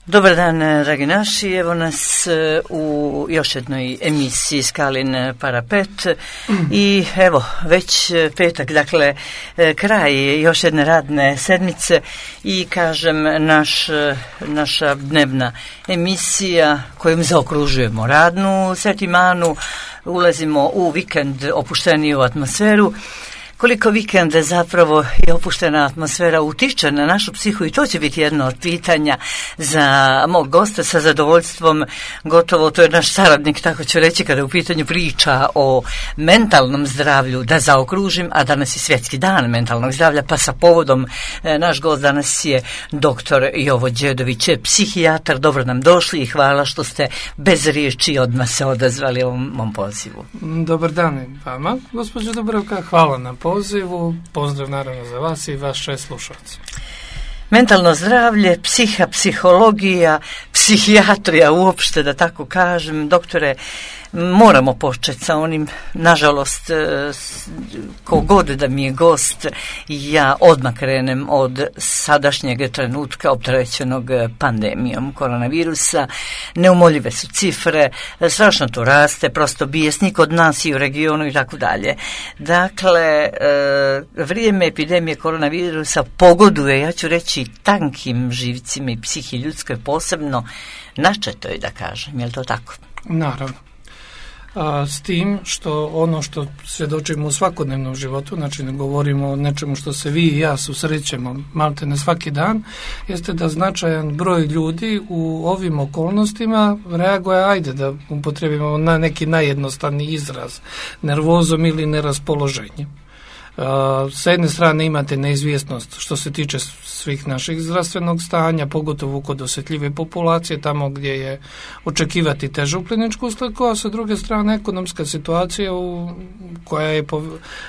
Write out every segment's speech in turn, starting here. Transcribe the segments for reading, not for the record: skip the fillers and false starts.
Dobar dan, dragi naši, evo nas u još jednoj emisiji Skalin parapet i evo već petak, dakle kraj još jedne radne sedmice i kažem naša dnevna emisija kojom zaokružujemo radnu setimanu, ulazimo u vikend opušteniju atmosferu. Koliko vikenda zapravo je opuštena atmosfera utiče na našu psihu i to će biti jedno od pitanja za mog gosta sa zadovoljstvom. Gotovo to je naš saradnik, tako ću reći, kada u pitanju priča o mentalnom zdravlju, da zaokružim, a danas je svjetski dan mentalnog zdravlja, pa sa povodom naš gost danas je doktor Jovo Đedović, psihijatar. Dobro nam došli i hvala što ste bez riječi odmah se odazvali ovom mom pozivu. Dobar dan vama, gospođo Dubravka, hvala na pozivu, pozdrav naravno za vas i vaše slušalce. Mentalno zdravlje, psihologija, psihijatrija uopšte, da tako kažem. Doktore, moramo početi sa onim, nažalost, kogod da mi je gost, ja odmah krenem od sadašnjeg trenutka opterećenog pandemijom koronavirusa. Neumoljive su cifre, strašno to raste, prosto bijesnik od nas i u regionu i tako dalje. Dakle, vrijeme epidemije koronavirusa pogoduje, ja ću reći, tankim živcima i psihi ljudskoj, posebno načetoj, da kažem. Je li to tako? Naravno. S tim što ono što svjedočimo u svakodnevnom životu, znači ne govorimo o nečemu što se vi i ja susrećemo malte ne svaki dan, jeste da značajan broj ljudi u ovim okolnostima reaguje, ajde da upotrijebimo na neki najjednostavniji izraz, nervozom ili neraspoloženjem. Sa jedne strane imate neizvjesnost što se tiče svih naših zdravstvenog stanja, pogotovo kod osjetljive populacije, tamo gdje je očekivati težu kliničku sliku, a sa druge strane ekonomska situacija koja je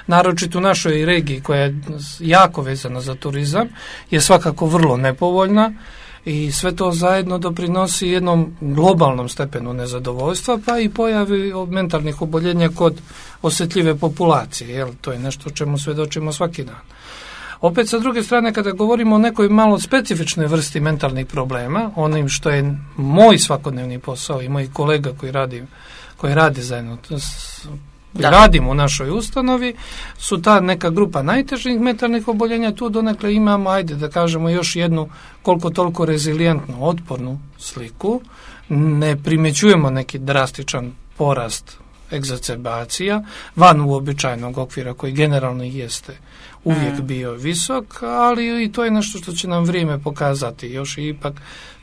naročito u našoj regiji, koja je jako vezana za turizam, je svakako vrlo nepovoljna. I sve to zajedno doprinosi jednom globalnom stepenu nezadovoljstva, pa i pojavi mentalnih oboljenja kod osjetljive populacije. Jel? To je nešto o čemu svjedočimo svaki dan. Opet, sa druge strane, kada govorimo o nekoj malo specifičnoj vrsti mentalnih problema, onim što je moj svakodnevni posao i moj kolega koji radi zajedno radimo u našoj ustanovi, su ta neka grupa najtežih mentalnih oboljenja. Tu donekle imamo, ajde da kažemo, još jednu koliko toliko rezilijentnu, otpornu sliku. Ne primjećujemo neki drastičan porast egzacerbacija van uobičajenog okvira koji generalno jeste uvijek bio visok, ali i to je nešto što će nam vrijeme pokazati. Još i ipak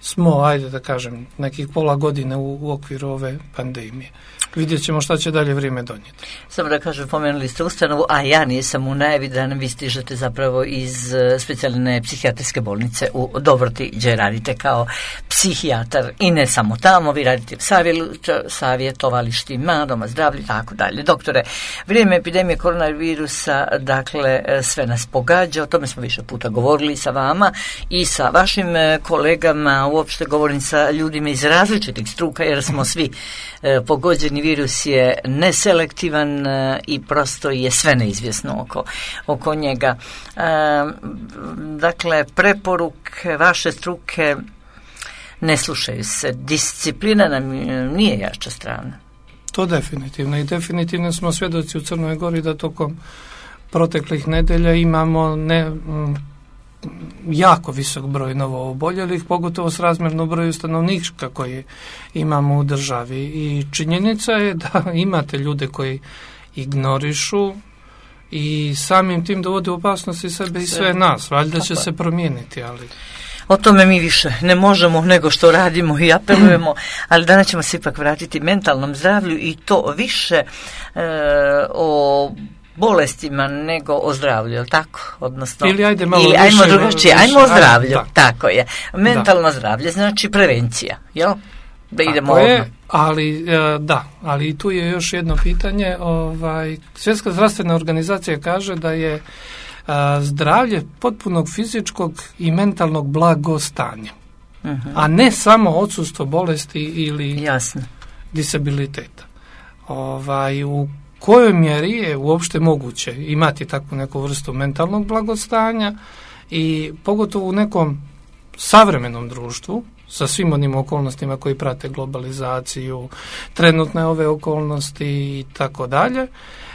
smo, ajde da kažem, nekih pola godine u okviru ove pandemije. Vidjet ćemo šta će dalje vrijeme donijeti. Samo da kažem, pomenuli ste ustanovu, a ja nisam u najavi da vi stižete zapravo iz specijalne psihijatrijske bolnice u Dobroti, gdje radite kao psihijatar i ne samo tamo, vi radite savjetovalištima, doma zdravlja i tako dalje. Doktore, vrijeme epidemije koronavirusa, dakle, sve nas pogađa, o tome smo više puta govorili sa vama i sa vašim kolegama, uopšte govorim sa ljudima iz različitih struka, jer smo svi pogođeni. Virus je neselektivan i prosto je sve neizvjesno oko njega. Dakle, preporuke vaše struke ne slušaju se. Disciplina nam nije jača strana. To definitivno. I definitivno smo svjedoci u Crnoj Gori da tokom proteklih nedelja imamo jako visok broj novooboljelih, pogotovo s razmjerno broju stanovnika koji imamo u državi. I činjenica je da imate ljude koji ignorišu i samim tim dovode u opasnost i sebe i sve nas. Valjda će se promijeniti, ali... O tome mi više ne možemo nego što radimo i apelujemo, ali danas ćemo se ipak vratiti mentalnom zdravlju i to više o bolestima nego o zdravlju, je li tako? Odnosno, ajmo drugačije, ajmo o zdravlju, tako je. Mentalno zdravlje znači prevencija, jel? Da idemo odmah. Ali tu je još jedno pitanje. Svjetska zdravstvena organizacija kaže da je zdravlje potpunog fizičkog i mentalnog blagostanja, a ne samo odsustvo bolesti ili disabiliteta. U kojoj mjeri je uopšte moguće imati takvu neku vrstu mentalnog blagostanja i pogotovo u nekom savremenom društvu sa svim onim okolnostima koji prate globalizaciju, trenutne ove okolnosti i tako dalje.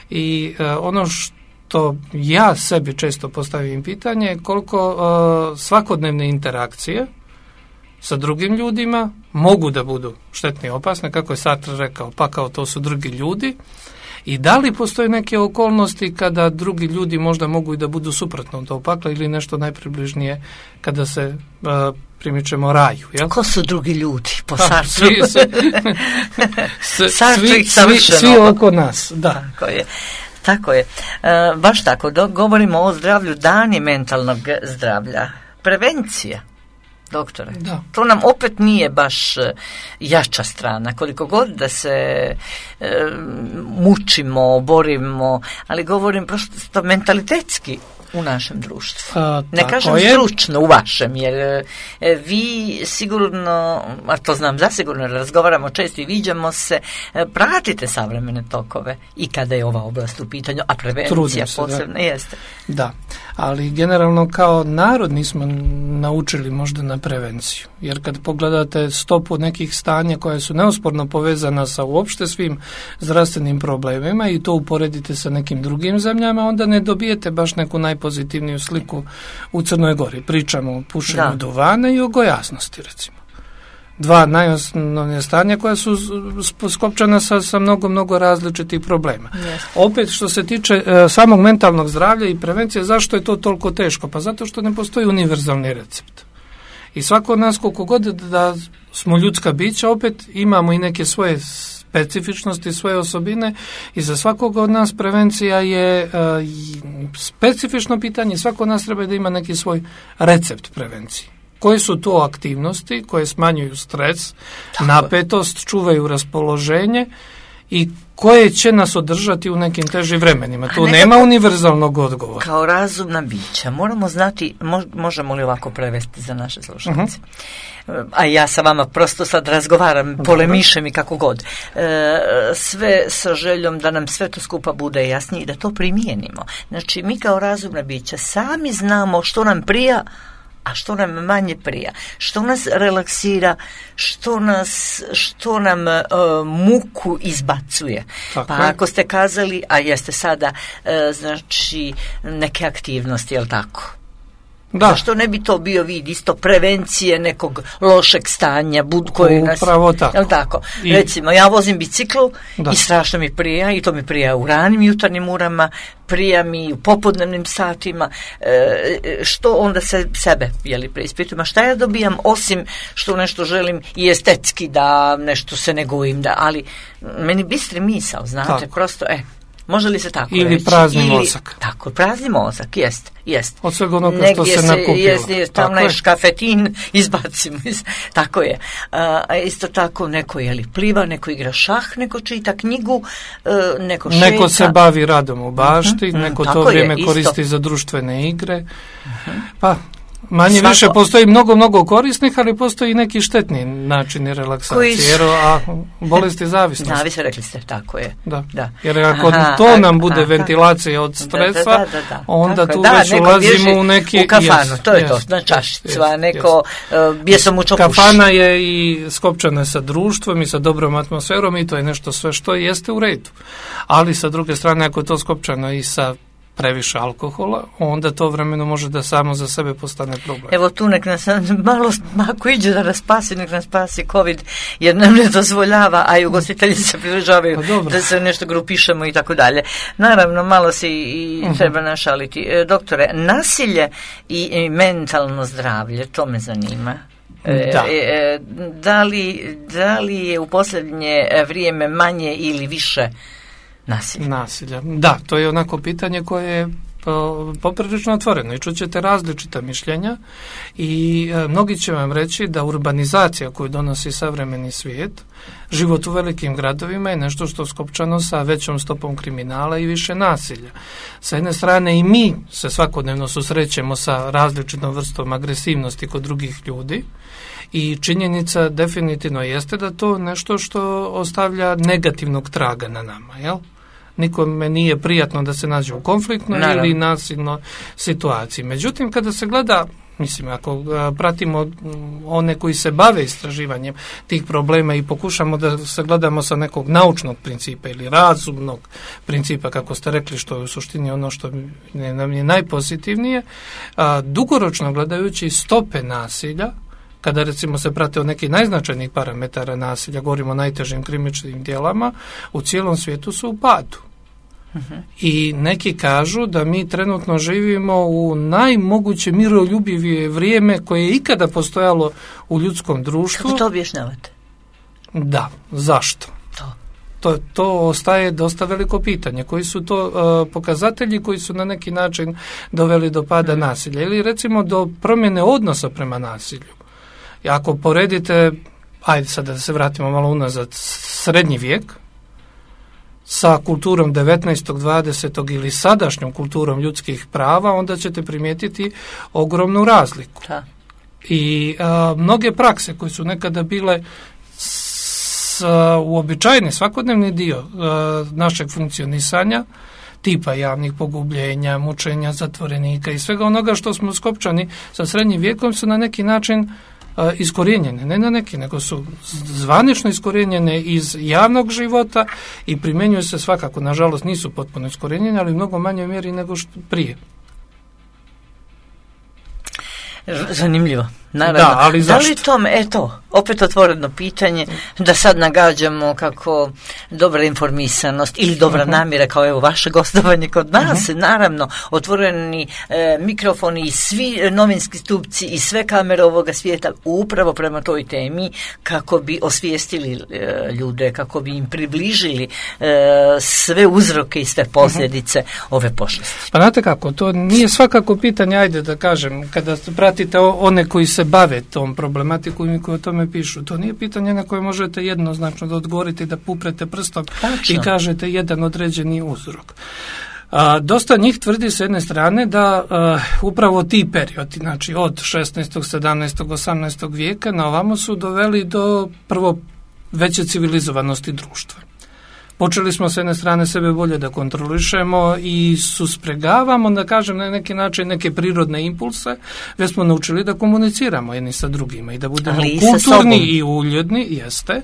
I ono što ja sebi često postavim pitanje je koliko svakodnevne interakcije sa drugim ljudima mogu da budu štetne i opasne, kako je Sartre rekao, pa kao to su drugi ljudi, i da li postoje neke okolnosti kada drugi ljudi možda mogu i da budu suprotno od pakla ili nešto najpribližnije kada se primičemo raju. Jel? Ko su drugi ljudi po Sartru? Svi oko nas, da. Tako je. Baš tako, govorimo o zdravlju, dani mentalnog zdravlja. Prevencija, doktore. Da. To nam opet nije baš jača strana. Koliko god da se mučimo, borimo, ali govorim prosto mentalitetski u našem društvu. Ne kažem stručno u vašem, jer vi sigurno, a to znam zasigurno, razgovaramo često i viđamo se, pratite savremene tokove i kada je ova oblast u pitanju, a prevencija posebno jeste. Da, ali generalno kao narod nismo naučili možda na prevenciju, jer kad pogledate stopu nekih stanja koja su neosporno povezana sa uopšte svim zdravstvenim problemima i to uporedite sa nekim drugim zemljama, onda ne dobijete baš neku najpozitivniju sliku u Crnoj Gori. Pričamo o pušenju duvana i o gojaznosti, recimo. Dva najosnovnije stanja koja su skopčana sa mnogo različitih problema. Yes. Opet što se tiče samog mentalnog zdravlja i prevencije, zašto je to toliko teško? Pa zato što ne postoji univerzalni recept. I svako od nas, koliko god da smo ljudska bića, opet imamo i neke svoje specifičnosti, svoje osobine i za svakog od nas prevencija je specifično pitanje. Svako od nas treba da ima neki svoj recept prevencije. Koje su to aktivnosti koje smanjuju stres, napetost, čuvaju raspoloženje i koje će nas održati u nekim težim vremenima. Tu nema univerzalnog odgovora. Kao razumna bića moramo znati, možemo li ovako prevesti za naše slušalice? A ja sa vama prosto sad razgovaram, polemišem i kako god. Sve sa željom da nam sve to skupa bude jasnije i da to primijenimo. Znači, mi kao razumna bića sami znamo što nam prija, a što nam manje prija, što nas relaksira, što nam muku izbacuje. Tako. Pa ako ste kazali, a jeste sada, znači neke aktivnosti, je li tako? Da. Zašto ne bi to bio vid isto prevencije nekog lošeg stanja koji nas... Upravo tako. Je li tako? Recimo, ja vozim biciklu i strašno mi prija, i to mi prija u ranim jutarnjim urama, prija mi u popodnevnim satima, što onda sebe preispitujem, a šta ja dobijam osim što nešto želim i estetski da nešto se ne gojim, ali meni bistri misao, znate, tako. Prosto, može li se tako ili reći? Prazni mozak. Tako, prazni mozak, jest. Od svega onoga što se nakupilo. Tamo je škafetin, izbacimo. Tako je. Isto tako, neko pliva, neko igra šah, neko čita knjigu, neko šeta. Neko se bavi radom u bašti, neko to vrijeme koristi za društvene igre. Pa... Manje više postoji mnogo korisnih, ali postoji i neki štetni načini relaksacije, a bolesti zavisnosti. Zavise, rekli ste, tako je. Da. Jer ako to nam bude ventilacija od stresa, onda tu već ulazimo u neki... U kafanu, to je to, na čašicu, a neko bjesomučno puši. Kafana je i skopčana sa društvom i sa dobrom atmosferom i to je nešto sve što jeste u redu. Ali sa druge strane, ako je to skopčano i sa previše alkohola, onda to vremeno može da samo za sebe postane problem. Evo tu nek nas malo, ako iđe da nas spasi, nek nas spasi COVID, jer nam ne dozvoljava, a i ugostitelji se pridržavaju da se nešto grupišemo i tako dalje. Naravno, malo se i treba našaliti. Doktore, nasilje i mentalno zdravlje, to me zanima. Da li je u posljednje vrijeme manje ili više nasilja? Da, to je onako pitanje koje je poprilično otvoreno i čućete različita mišljenja i mnogi će vam reći da urbanizacija koju donosi savremeni svijet, život u velikim gradovima je nešto što skopčano sa većom stopom kriminala i više nasilja. Sa jedne strane i mi se svakodnevno susrećemo sa različitom vrstom agresivnosti kod drugih ljudi i činjenica definitivno jeste da to nešto što ostavlja negativnog traga na nama, jel? Nikome nije prijatno da se nađe u konfliktnoj ili nasilnoj situaciji. Međutim, kada se gleda Mislim, ako pratimo one koji se bave istraživanjem tih problema i pokušamo da se gledamo sa nekog naučnog principa ili razumnog principa, kako ste rekli, što je u suštini ono što nam je najpozitivnije, dugoročno gledajući stope nasilja, kada recimo se prate o nekih najznačajnijih parametara nasilja, govorimo o najtežim krivičnim djelama, u cijelom svijetu su u padu. I neki kažu da mi trenutno živimo u najmoguće miroljubivije vrijeme koje je ikada postojalo u ljudskom društvu. Kako to objašnjavate? Da, zašto? To ostaje dosta veliko pitanje. Koji su to pokazatelji koji su na neki način doveli do pada nasilja ili recimo do promjene odnosa prema nasilju? I ako poredite, ajde sad da se vratimo malo unazad, srednji vijek sa kulturom 19. 20. ili sadašnjom kulturom ljudskih prava, onda ćete primijetiti ogromnu razliku. Da. I mnoge prakse koje su nekada bile uobičajeni svakodnevni dio našeg funkcionisanja, tipa javnih pogubljenja, mučenja zatvorenika i svega onoga što smo skopčani sa srednjim vijekom, su na neki način iskorijenjene, ne na neki, nego su zvanično iskorijenjene iz javnog života i primjenjuju se svakako, nažalost nisu potpuno iskorijenjene, ali u mnogo manjoj mjeri nego što prije. Zanimljivo. Naravno. Da, ali zašto? Da li tome, eto, opet otvoreno pitanje, da sad nagađamo kako dobra informisanost ili dobra namjera, kao evo vaše gostovanje kod nas, naravno, otvoreni mikrofoni i svi novinski stupci i sve kamere ovoga svijeta upravo prema toj temi, kako bi osvijestili ljude, kako bi im približili sve uzroke i sve posljedice ove pošasti. Pa znate kako, to nije svakako pitanje, ajde da kažem, kada pratite one koji se bave tom problematikom i koji o tome pišu. To nije pitanje na koje možete jednoznačno da odgovorite, da puprete prstom i kažete jedan određeni uzrok. Dosta njih tvrdi s jedne strane da upravo ti periodi, znači od 16., 17., 18. vijeka na ovamo su doveli do prvo veće civilizovanosti društva. Počeli smo s jedne strane sebe bolje da kontrolišemo i suspregavamo, da kažem na neki način, neke prirodne impulse, već smo naučili da komuniciramo jedni sa drugima i da budemo kulturni i uljudni, jeste,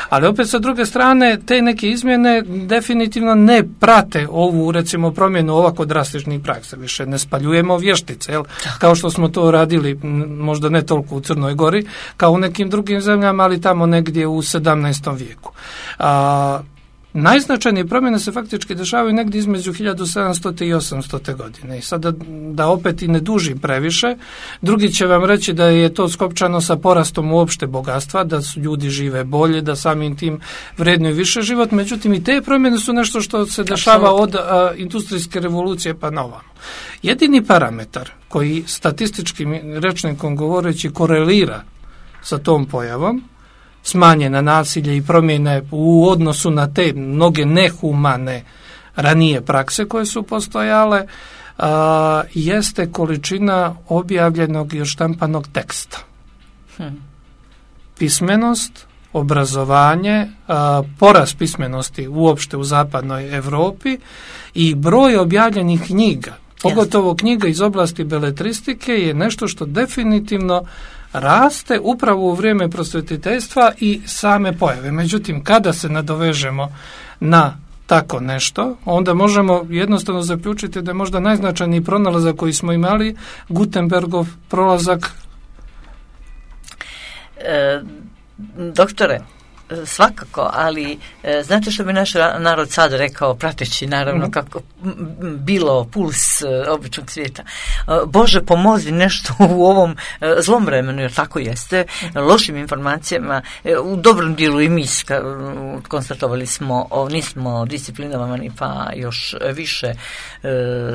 ali opet sa druge strane te neke izmjene definitivno ne prate ovu, recimo, promjenu ovako drastičnih praksa. Više ne spaljujemo vještice, jel? Kao što smo to radili, možda ne toliko u Crnoj Gori, kao u nekim drugim zemljama, ali tamo negdje u 17. vijeku. Najznačajnije promjene se faktički dešavaju negdje između 1700. i 800. godine. I sada da opet i ne dužim previše, drugi će vam reći da je to skopčano sa porastom uopšte bogatstva, da su ljudi žive bolje, da samim tim vrednuju više život, međutim i te promjene su nešto što se dešava od industrijske revolucije pa na ovamo. Jedini parametar koji statističkim rečnikom govoreći korelira sa tom pojavom, smanjena nasilje i promjene u odnosu na te mnoge nehumane ranije prakse koje su postojale, jeste količina objavljenog i odštampanog teksta. Pismenost, obrazovanje, porast pismenosti uopšte u zapadnoj Europi i broj objavljenih knjiga, pogotovo knjiga iz oblasti beletristike, je nešto što definitivno raste upravo u vrijeme prosvjetiteljstva i same pojave. Međutim, kada se nadovežemo na tako nešto, onda možemo jednostavno zaključiti da je možda najznačajniji pronalazak koji smo imali Gutenbergov prolazak. Doktore, svakako, ali znate što bi naš narod sad rekao, prateći naravno kako bilo puls običnog svijeta? Bože, pomozi nešto u ovom zlom vremenu, jer tako jeste, lošim informacijama, u dobrom dijelu i mi konstatovali smo, nismo disciplinovani, pa još više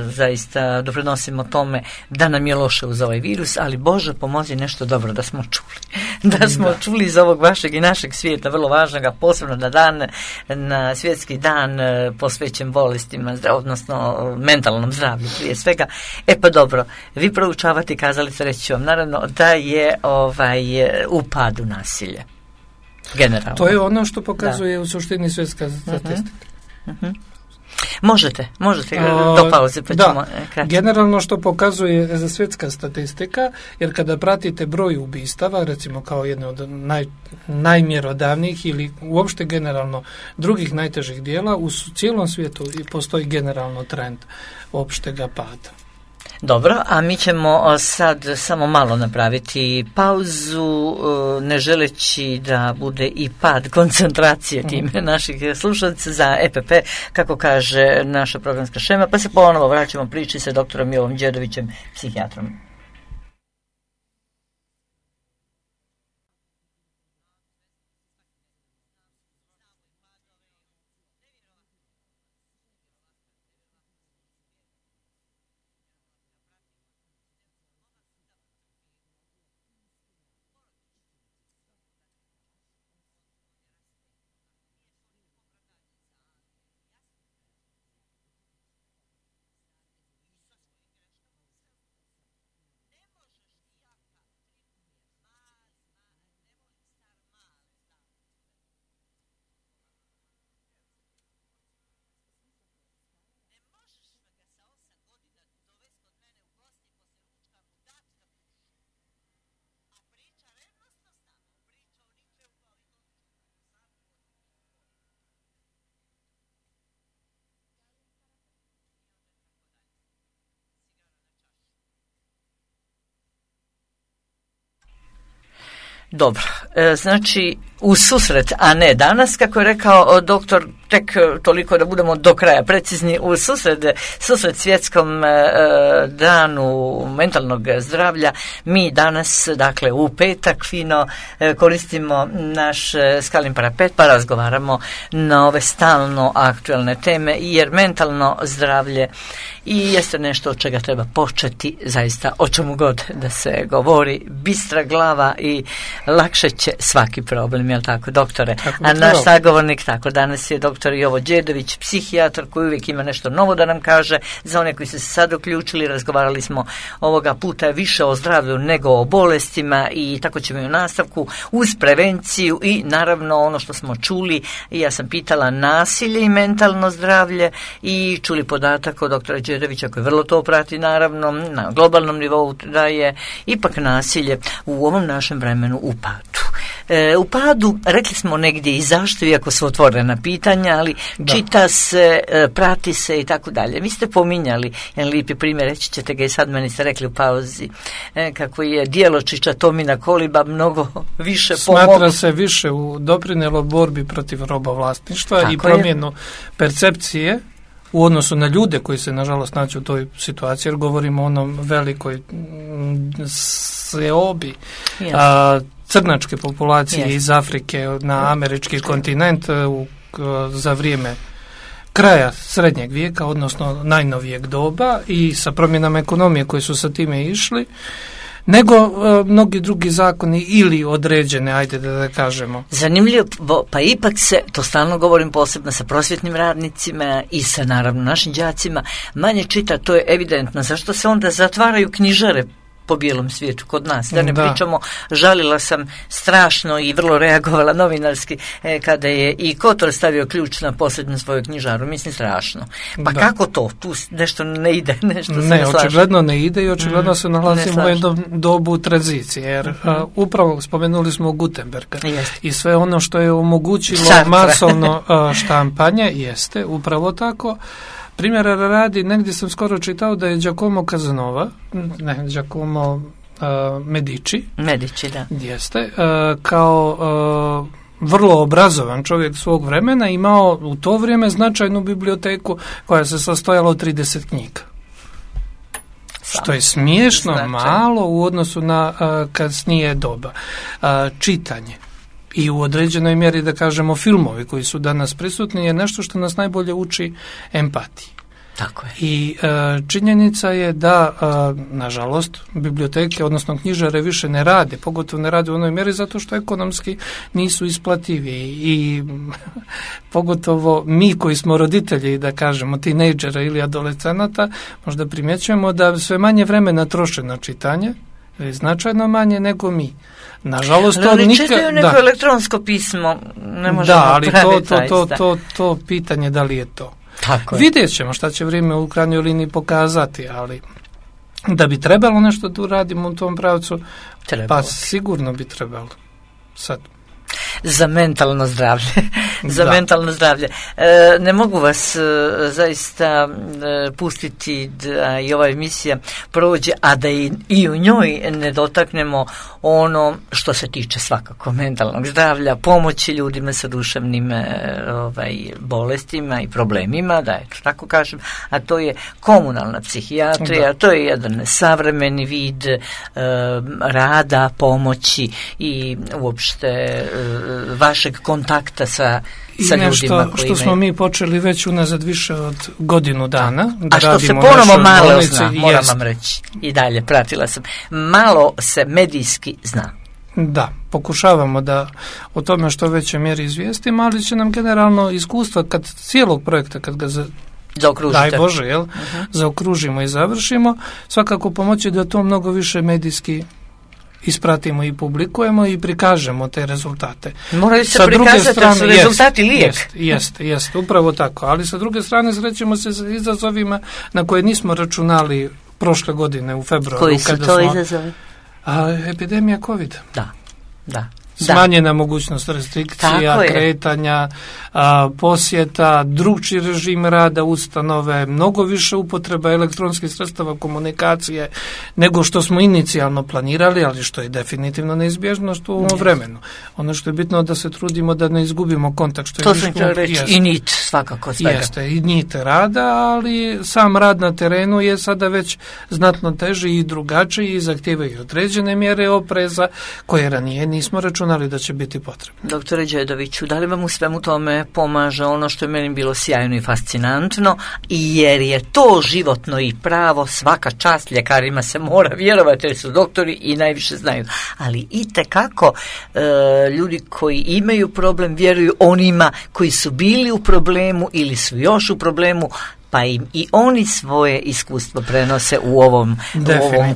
zaista doprinosimo tome da nam je loše uz ovaj virus, ali Bože, pomozi nešto dobro da smo čuli. Da smo čuli iz ovog vašeg i našeg svijeta, vrlo važnoga, posebno na svjetski dan posvećen bolestima, odnosno mentalnom zdravlju prije svega. Pa dobro, vi proučavate, kazali ste, reći ću vam naravno da je u padu nasilje. Generalno. To je ono što pokazuje u suštini svjetska statistika. Možete do pauze pa ćemo kratko. Generalno što pokazuje za svjetska statistika, jer kada pratite broj ubistava, recimo kao jedno od najmjerodavnijih ili uopšte generalno drugih najtežih dijela, u cijelom svijetu postoji generalno trend opštega pada. Dobro, a mi ćemo sad samo malo napraviti pauzu, ne želeći da bude i pad koncentracije time naših slušalaca za EPP, kako kaže naša programska šema, pa se ponovo vraćamo priči sa doktorom Jovom Đedovićem, psihijatrom. Dobro, znači u susret, a ne danas, kako je rekao doktor, tek toliko da budemo do kraja precizni, u susret svjetskom danu mentalnog zdravlja, mi danas, dakle u petak fino koristimo naš Skalin parapet pa razgovaramo na ove stalno aktualne teme, jer mentalno zdravlje i jeste nešto od čega treba početi, zaista o čemu god da se govori, bistra glava i lakše će svaki problem, jel tako, doktore? A naš sagovornik, tako, danas je doktor Jovo Đedović, psihijatar koji uvijek ima nešto novo da nam kaže. Za one koji su se sad uključili, razgovarali smo ovoga puta više o zdravlju nego o bolestima i tako ćemo i u nastavku uz prevenciju i naravno ono što smo čuli, ja sam pitala nasilje i mentalno zdravlje i čuli podatak od doktora Đedovića koji vrlo to prati naravno na globalnom nivou, da je ipak nasilje u ovom našem vremenu u padu. U padu, rekli smo negdje i zašto, iako su otvorena pitanja, ali čita se, prati se i tako dalje. Vi ste pominjali jedan lijepi primjer, reći ćete ga i sad, meni ste rekli u pauzi, kako je Djeločića Tomina Koliba mnogo više smatra se više doprinijelo borbi protiv robovlasništva i promjenu percepcije u odnosu na ljude koji se nažalost nađu u toj situaciji, jer govorimo o onom velikoj seobi crnačke populacije iz Afrike na američki kontinent za vrijeme kraja srednjeg vijeka, odnosno najnovijeg doba, i sa promjenama ekonomije koji su sa time išli, nego mnogi drugi zakoni ili određene, ajde da kažemo. Zanimljivo, pa ipak se, to stalno govorim posebno sa prosvjetnim radnicima i sa naravno našim đacima, manje čita, to je evidentno. Zašto se onda zatvaraju knjižare po bijelom svijetu kod nas? Da ne pričamo, žalila sam strašno i vrlo reagovala novinarski kada je i Kotor stavio ključ na posljednju svoju knjižaru. Mislim, strašno. Pa kako to? Tu nešto ne ide, nešto se ne slaže. Očigledno ne ide i očigledno se nalazimo u jednom dobu tranzicije, jer upravo spomenuli smo Gutenberga i sve ono što je omogućilo masovno štampanje, jeste upravo tako. Primjera radi, negdje sam skoro čitao da je Giacomo Medici, da. Jeste, kao vrlo obrazovan čovjek svog vremena imao u to vrijeme značajnu biblioteku koja se sastojala od 30 knjiga. Što je smiješno malo u odnosu na kasnije doba. Čitanje i u određenoj mjeri, da kažemo, filmovi koji su danas prisutni je nešto što nas najbolje uči empatiji. Tako je. I činjenica je da, nažalost, biblioteke, odnosno knjižare više ne rade, pogotovo ne rade u onoj mjeri zato što ekonomski nisu isplativi i pogotovo mi koji smo roditelji, da kažemo, tinejdžera ili adolescenata, možda primjećujemo da sve manje vremena troše na čitanje, značajno manje nego mi. Nažalost, to nikad... čitaju neko elektronsko pismo, ne možemo ali to pitanje da li je to. Vidjet ćemo šta će vrijeme u krajnjoj liniji pokazati, ali da bi trebalo nešto da uradimo u tom pravcu, pa sigurno bi trebalo. Sad. Za mentalno zdravlje. Za mentalno zdravlje. Ne mogu vas zaista pustiti da i ova emisija prođe, a da i u njoj ne dotaknemo ono što se tiče svakako mentalnog zdravlja, pomoći ljudima sa duševnim bolestima i problemima, da eto tako kažem, a to je komunalna psihijatrija, to je jedan savremeni vid rada, pomoći i uopšte vašeg kontakta sa ljudima koji što smo mi počeli već unazad više od godinu dana. Da a što se ponovo malo zna, moram vam reći. I dalje, pratila sam. Malo se medijski zna. Da, pokušavamo da o tome što većoj mjeri izvijestimo, ali će nam generalno iskustva kad cijelog projekta, kad ga daj Bože, zaokružimo i završimo, svakako pomoći da to mnogo više medijski ispratimo i publikujemo i prikažemo te rezultate. Moraju se prikazati da su rezultati lijek. Jest, upravo tako. Ali sa druge strane srećemo se sa izazovima na koje nismo računali prošle godine u februaru. Koji su to izazovi? Epidemija COVID. Da. Smanjena mogućnost restrikcija, kretanja, posjeta, drugčiji režim rada ustanove, mnogo više upotreba elektronskih sredstava komunikacije nego što smo inicijalno planirali, ali što je definitivno neizbježnost u ovom vremenu. Ono što je bitno da se trudimo da ne izgubimo kontakt. Što to sam htjela reći, i nit svakako svega. Jeste, i nit rada, ali sam rad na terenu je sada već znatno teži i drugačiji i zahtijevaju određene mjere opreza koje ranije nismo računali da će biti potrebno. Doktore Đedoviću, da li vam u svemu tome pomaže ono što je meni bilo sjajno i fascinantno, jer je to životno i pravo, svaka čast, ljekarima se mora vjerovati jer su doktori i najviše znaju, ali itekako ljudi koji imaju problem vjeruju onima koji su bili u problemu ili su još u problemu, pa im i oni svoje iskustvo prenose u ovom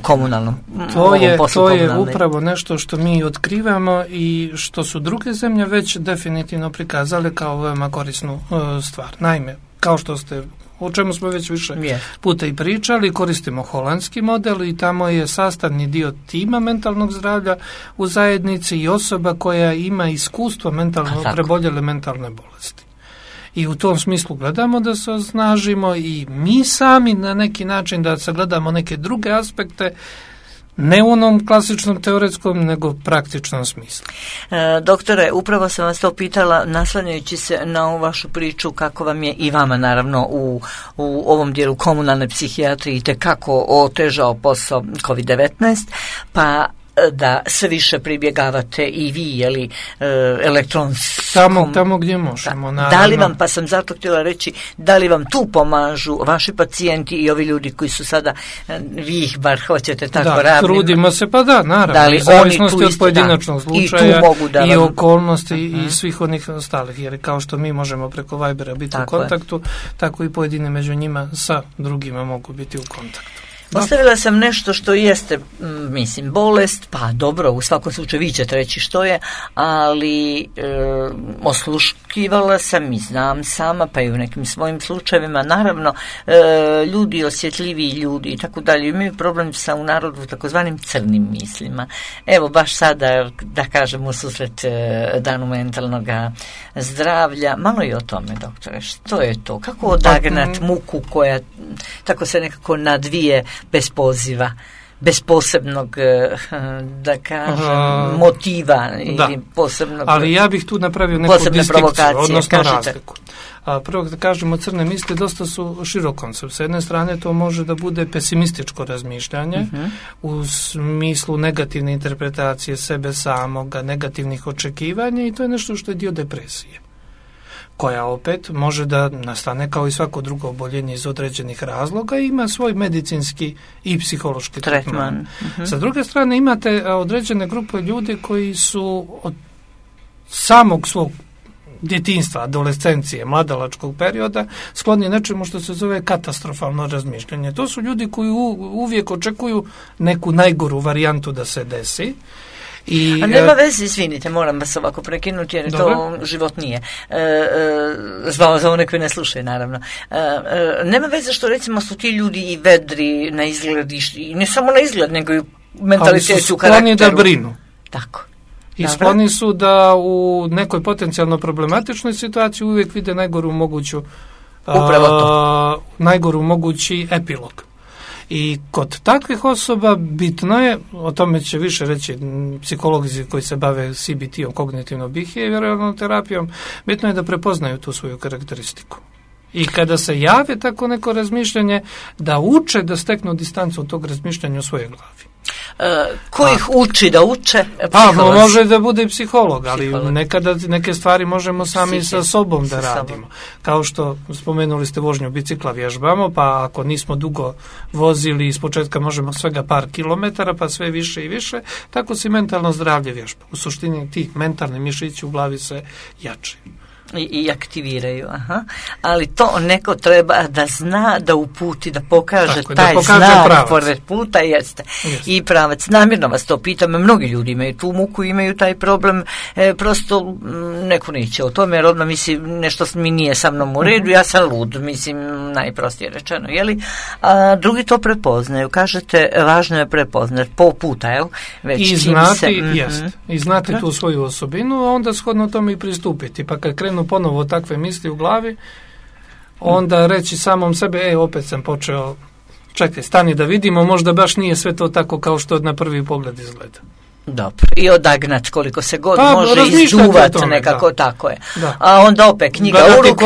komunalnom To je upravo nešto što mi otkrivamo i što su druge zemlje već definitivno prikazale kao veoma korisnu stvar. Naime, kao što ste, o čemu smo već više puta i pričali, koristimo holandski model i tamo je sastavni dio tima mentalnog zdravlja u zajednici i osoba koja ima iskustvo preboljele mentalne bolesti. I u tom smislu gledamo da se osnažimo i mi sami na neki način da sagledamo neke druge aspekte, ne u onom klasičnom teoretskom, nego praktičnom smislu. Doktore, upravo sam vas to pitala, naslanjajući se na ovu vašu priču, kako vam je i vama naravno u ovom dijelu komunalne psihijatrije itekako otežao posao COVID-19, pa da sve više pribjegavate i vi, elektronskom... Tamo gdje možemo, naravno. Da li vam, pa sam zato htjela reći, da li vam tu pomažu vaši pacijenti i ovi ljudi koji su sada, vi ih bar hoćete tako ravnima? Trudimo se, pa naravno. Da li zavisnosti od pojedinačnog slučaja i okolnosti i svih onih ostalih, jer kao što mi možemo preko Vibera biti u kontaktu, tako i pojedine među njima sa drugima mogu biti u kontaktu. Ostavila sam nešto što jeste, bolest, pa dobro, u svakom slučaju vi ćete reći što je, ali osluškivala sam i znam sama, pa i u nekim svojim slučajevima, naravno, ljudi, osjetljiviji ljudi i tako dalje, imaju problem sa u narodu takozvanim crnim mislima. Evo, baš sada, da kažem, u susret Danu mentalnog zdravlja, malo i o tome, doktore, što je to? Kako odagnat muku koja tako se nekako nadvije bez poziva, bez posebnog, da kažem, motiva ili posebnog... Ali ja bih tu napravio neku distinkciju, odnosno razliku. Prvo da kažemo, crne misli dosta su širok koncept. S jedne strane to može da bude pesimističko razmišljanje u smislu negativne interpretacije sebe samoga, negativnih očekivanja i to je nešto što je dio depresije, koja opet može da nastane kao i svako drugo oboljenje iz određenih razloga i ima svoj medicinski i psihološki tretman. Sa druge strane imate određene grupe ljudi koji su od samog svog djetinjstva, adolescencije, mladalačkog perioda skloni nečemu što se zove katastrofalno razmišljanje. To su ljudi koji uvijek očekuju neku najgoru varijantu da se desi A nema veze, izvinite, moram vas ovako prekinuti jer to život nije. Za one koji ne slušaju, naravno. Nema veze što recimo su ti ljudi i vedri na izgled i ne samo na izgled, nego i u mentalitetu, u karakteru. Ali su skloni da brinu. Tako. I skloni su da u nekoj potencijalno problematičnoj situaciji uvijek vide najgoru moguću najgoru mogući epilog. I kod takvih osoba bitno je, o tome će više reći psiholozi koji se bave CBT-om, kognitivno-behavioralnom terapijom, bitno je da prepoznaju tu svoju karakteristiku. I kada se jave tako neko razmišljanje, da uče da steknu distancu od tog razmišljanja u svojoj glavi. Ko ih uči da uče? Može da bude i psiholog, ali nekada neke stvari možemo sami sa sobom da radimo. Kao što spomenuli ste vožnju bicikla, vježbamo, pa ako nismo dugo vozili, iz početka možemo svega par kilometara, pa sve više i više, tako se mentalno zdravlje vježba. U suštini tih mentalni mišići u glavi se jačaju. I aktiviraju, ali to neko treba da zna, da uputi, da pokaže taj znak pored puta, jeste. I pravac. Namjerno vas to pitam, mnogi ljudi imaju tu muku, imaju taj problem, prosto neko neće o tome, jer odmah misli nešto mi nije sa mnom u redu, ja sam lud, mislim najprostije rečeno, jeli? A drugi to prepoznaju, kažete, važno je prepoznati po puta, jel? I znati tu svoju osobinu, a onda shodno tome i pristupiti, pa kad krenu ponovo takve misli u glavi, onda reći samom sebe, opet sam počeo, čekaj, stani da vidimo, možda baš nije sve to tako kao što na prvi pogled izgleda. Dobro. I odagnat koliko se god može izduvat nekako, tako je. Da. A onda opet knjiga u ruku.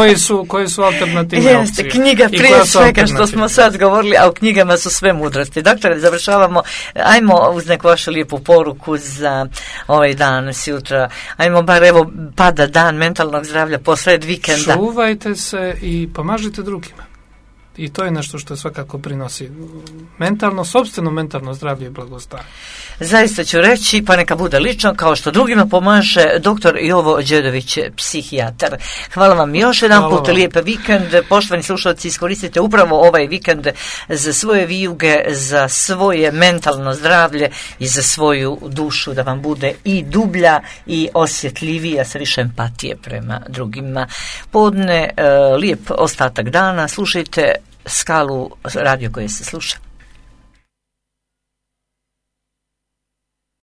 Koje su alternativne opcije. Knjiga prije svega što smo sad govorili, a u knjigama su sve mudrosti. Doktore, završavamo, ajmo uz neku vašu lijepu poruku za ovaj dan, sutra. Ajmo bar, evo, pada dan mentalnog zdravlja posred vikenda. Čuvajte se i pomažite drugima. I to je nešto što svakako prinosi sopstveno mentalno zdravlje i blagostanje. Zaista ću reći, pa neka bude lično, kao što drugima pomaže dr. Jovo Đedović, psihijatar. Hvala vam još jedan put, lijep vikend. Poštovani slušalci, iskoristite upravo ovaj vikend za svoje vijuge, za svoje mentalno zdravlje i za svoju dušu, da vam bude i dublja i osjetljivija, sa više empatije prema drugima. Podne, lijep ostatak dana, slušajte Skalu, radio koje se sluša.